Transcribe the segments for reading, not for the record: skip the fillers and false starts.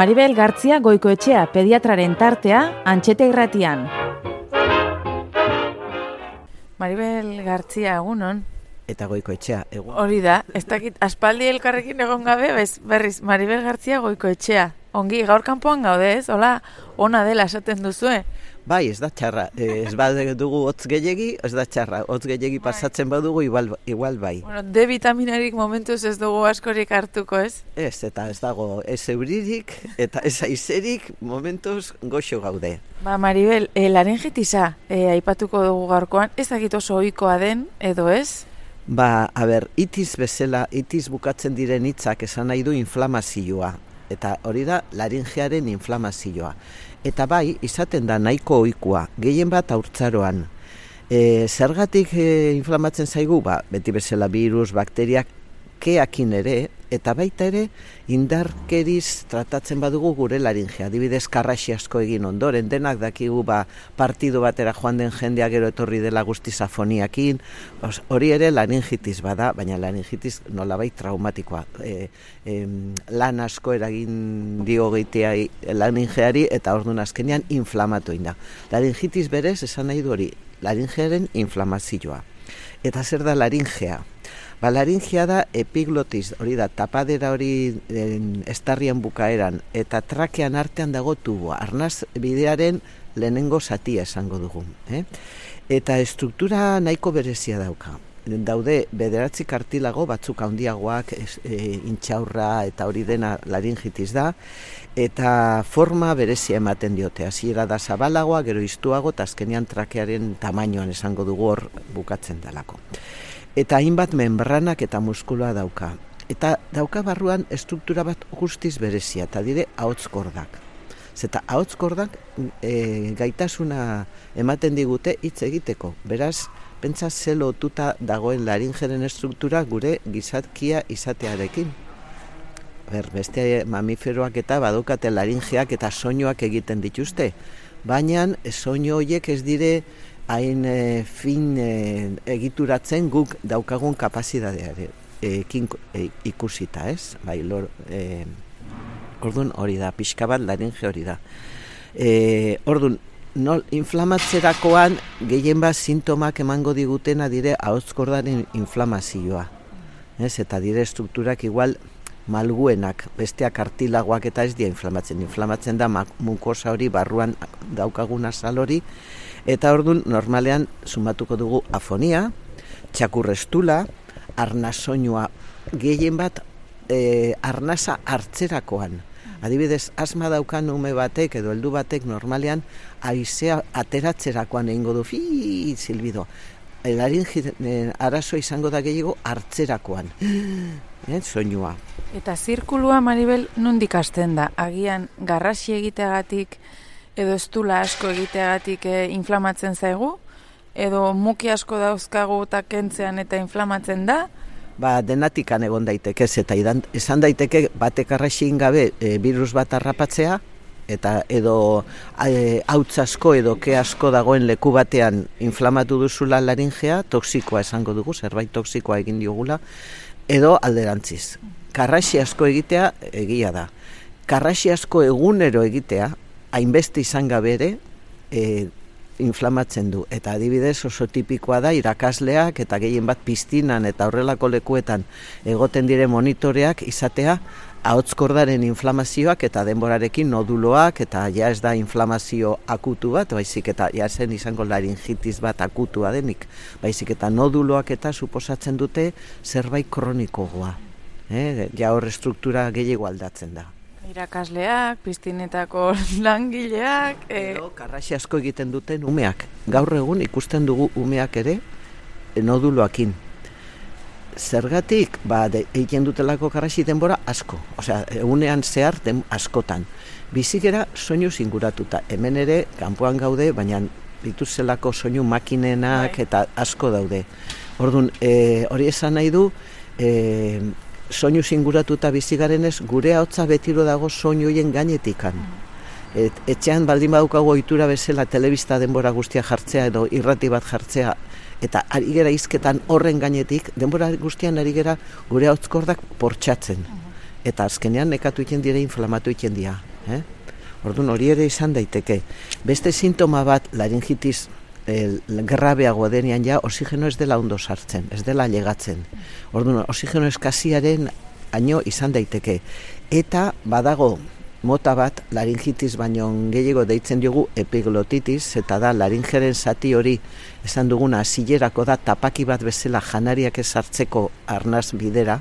Maribel Gartzia Goikoetxea pediatraren tartea Antxete Irratian. Maribel Gartzia, egunon. Eta Goikoetxea, egun. Hori da, ez dakit aspaldi elkarrekin egon gabe, berriz Maribel Gartzia Goikoetxea. Ongi, gaur kanpoan gaude ez, hola, ona dela esaten duzue. Bai, ez da txarra, ez badugu hotz gehiegi, ez da txarra, hotz gehiegi pasatzen badugu, igual bai. Bueno, D vitaminarik momentuz ez dugu askorik hartuko ez? Ez, eta ez dago, ez euririk eta ez aizerik momentuz goxo gaude. Ba, Maribel, laringitisa aipatuko dugu gaurkoan, ez dakit oso ohikoa den, edo ez? Ba, itiz bezala, itiz bukatzen diren hitzak esan nahi du inflamazioa. Eta hori da laringearen inflamazioa. Eta bai, izaten da nahiko ohikoa, gehien bat haurtzaroan. Zergatik inflamatzen zaigu? Ba, beti bezala virus, bakteriak, keakin ere, eta baita ere indarkeriz tratatzen badugu gure laringea. Adibidez, karraxi asko egin ondoren, denak dakigu partidu batera joan den jendea gero etorri dela guztiz afoniakin, hori ere laringitis bada, baina laringitis nolabait traumatikoa. Lan asko eragin dio gehitea laringeari eta orduan azkenean inflamatu egin da. Laringitis berez esan nahi du hori, laringearen inflamazioa. Eta zer da laringea? Ba, laringea da epiglotis, hori da, tapadera hori estarrian bukaeran, eta trakean artean dago tuboa, arnaz bidearen lehenengo zatia esango dugu. Eta estruktura nahiko berezia dauka. Daude bederatzi kartilago, batzuk handiagoak, intxaurra eta hori dena laringitis da, eta forma berezia ematen diote. Hasiera da zabalagoa, gero iztuago, eta azkenean trakearen tamainoan esango dugu hor bukatzen dalako. Eta hainbat membranak eta muskuloa dauka. Eta dauka barruan estruktura bat guztiz berezia, eta dire ahotskordak. Zeta ahotskordak gaitasuna ematen digute hitz egiteko. Beraz, pentsa ze lotuta dagoen laringeren estruktura gure gizatkia izatearekin. Beste mamiferoak eta badukate laringeak eta soinuak egiten dituzte. Baina soinu horiek ez dire hain fin egituratzen guk daukagun kapazitatearekin ikusita, ez? Bai, orduan hori da, pixka bat laringe hori da. Orduan, inflamatzerakoan gehien bat sintomak emango digutena dire ahotskordaren inflamazioa. Eta dire strukturak igual malguenak, besteak kartilagoak eta ez dira inflamatzen. Inflamatzen da mukosa hori barruan daukagun azal hori, eta orduan normalean sumatuko dugu afonia, txakurrestula, arnasoinua, gehien bat arnasa hartzerakoan. Adibidez, asma daukan ume batek edo heldu batek normalean haizea ateratzerakoan egingo du silbido. Laringe arazoa izango da gehiago hartzerakoan. Soinua. Eta zirkulua, Maribel, nondik hasten da? Agian garrasi egiteagatik edo estula asko egiteagatik inflamatzen zaigu? Edo muki asko dauzkagu eta kentzean eta inflamatzen da? Ba, denatikan egon daiteke, eta esan daiteke batek arraxin gabe virus bat harrapatzea, eta edo hauts asko edo ke asko dagoen leku batean inflamatu duzula laringea, toksikoa esango dugu, zerbait toksikoa egin diogula, edo alderantziz. Karraxi asko egitea egia da. Karraxi asko egunero egitea, hainbeste izan gabe ere, inflamatzen du. Eta adibidez oso tipikoa da irakasleak eta gehien bat piztinan eta horrelako lekuetan egoten dire monitoreak izatea ahotskordaren inflamazioak eta denborarekin noduloak eta ja ez da inflamazio akutu bat, baizik eta ja zen izango laringitis bat akutua denik, baizik eta noduloak eta suposatzen dute zerbait kronikogoa. Ja hor estruktura gehiago aldatzen da. Irakasleak, piztinetako langileak... Karraxi asko egiten duten umeak. Gaur egun ikusten dugu umeak ere noduloakin. Zergatik, egiten dutelako karraxi denbora asko. Osea, egunean zehar askotan. Bizikera soinu zinguratuta. Hemen ere, kanpoan gaude, baina dituzelako soinu makinenak eta asko daude. Orduan, hori esan nahi du... soinu zinguratuta bizigarenez, gure ahotsa betiro dago soinu hoien gainetikan. Etxean baldin badaukago ohitura bezala telebista denbora guztia jartzea edo irrati bat jartzea, eta ari gera hizketan horren gainetik, denbora guztian ari gera gure ahotskordak portxatzen. Eta azkenean nekatu egiten dire inflamatu egiten dira. Orduan hori ere izan daiteke. Beste sintoma bat laringitis grabeago denean ja oxigeno ez dela ondo sartzen, ez dela llegatzen. Orduan oxigeno eskasiaren haino izan daiteke. Eta badago mota bat laringitis baino gehiago deitzen diogu epiglotitis, eta da laringeren zati hori esan duguna hasilerako da tapaki bat bezala janariak ez sartzeko arnaz bidera.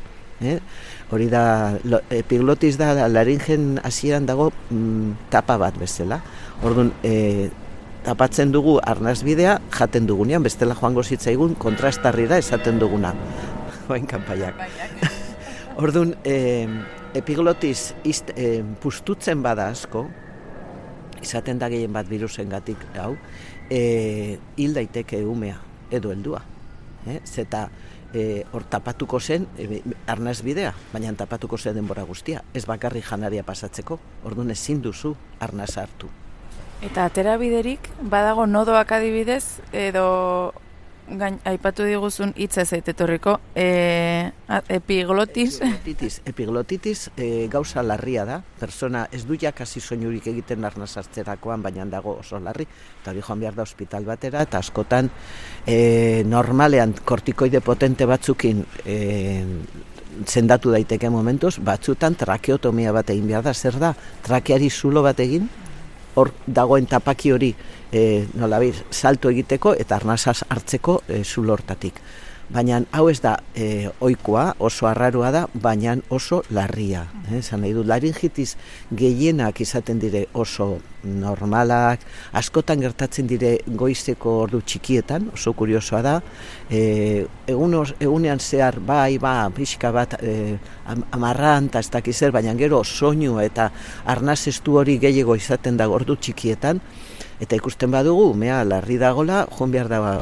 Hori da, epiglotis da laringen hasieran dago tapa bat bezala. Orduan, tapatzen dugu arnaz bidea, jaten dugunean, bestela joango zitzaigun kontrastarrira esaten duguna. Oain kanpaiak. Orduan, epiglotis pustutzen bada asko, izaten da gehien bat virusengatik hau, hil daiteke umea edo heldua. Zeta hor tapatuko zen arnaz bidea, baina tapatuko zen denbora guztia, ez bakarri janaria pasatzeko, orduan ezin duzu arnaz hartu. Eta atera biderik, badago nodoak adibidez, edo aipatu diguzun hitza zaitetorriko, epiglotis. Epiglotitis gauza larria da, persona ez du jakasi soinurik egiten arnaz hartzerakoan, baina dago oso larri, eta hori joan behar da ospital batera, eta askotan normalean kortikoide potente batzukin zendatu daiteke momentuz, batzutan trakeotomia bat egin behar da, zer da, trakeari zulo bat egin, hor dagoen tapaki hori salto egiteko eta arnazaz hartzeko zulo hortatik. Baina hau ez da ohikoa, oso arraroa da, baina oso larria. Zan nahi du, laringitis gehienak izaten dire oso normalak, askotan gertatzen dire goizeko ordu txikietan, oso kuriosoa da, egunean zehar pixka bat amarran eta ez dakiz zer, baina gero soinu eta arnaz estu hori gehiago izaten da ordu txikietan, eta ikusten badugu, umea larri dagola, joan behar da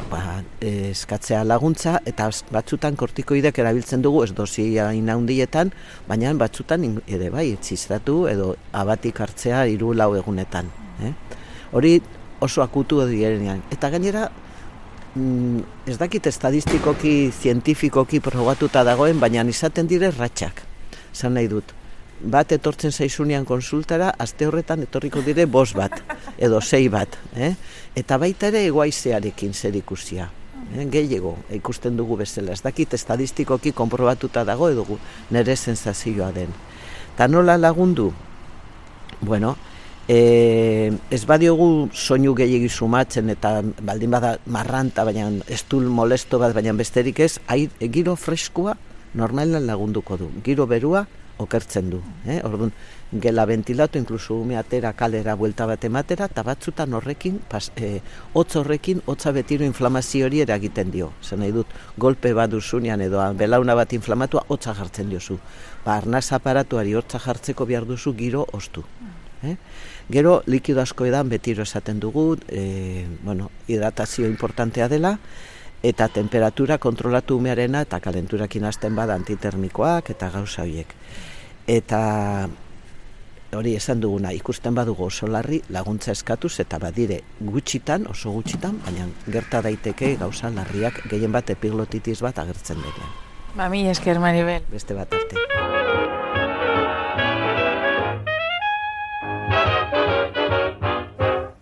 eskatzea laguntza, eta batzutan kortikoidek erabiltzen dugu, ez dozia inaundietan, baina batzutan ere txistatu edo abatik hartzea 3-4 egunetan. Hori oso akutu direnean. Eta gainera, ez dakit estadistikoki, zientifikoki probatuta dagoen, baina izaten dire ratxak. Zan nahi dut. Bat etortzen zaizunean konsultara, aste horretan etorriko dire 5 bat, edo 6 bat. Eta baita ere egoaizearekin zer ikusia. Gehiago ikusten dugu bezala. Ez dakit estadistikoki konprobatuta dago edo nire sensazioa den. Ta nola lagundu? Bueno, ez badiogu soinu gehiagi sumatzen eta baldin bada marranta, baina estul molesto bat, baina besterik ez, giro freskoa normalan lagunduko du. Giro berua okertzen du. Orduan, gela ventilatu, inkluso ume atera kalera buelta bat ematera, eta batzutan horrekin, hotz horrekin, hotza betiro inflamazio hori eragiten dio. Zer nahi dut, golpe bat duzunean edo belauna bat inflamatua, hotza jartzen diozu. Arnaz aparatuari hotza jartzeko behar duzu giro ostu. Gero, likido asko edan betiro esaten dugu, hidratazio importantea dela, eta temperatura kontrolatu umearena eta kalenturakin hasten bada antitermikoak eta gauza horiek. Eta hori esan duguna, ikusten badugu oso larri laguntza eskatuz eta badire gutxitan, oso gutxitan, baina gerta daiteke gauza larriak gehien bat epiglotitis bat agertzen denean. Mila esker, Maribel. Beste bat arte.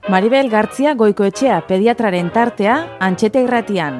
Maribel Gartzia Goikoetxea pediatraren tartea Antxeta Irratian.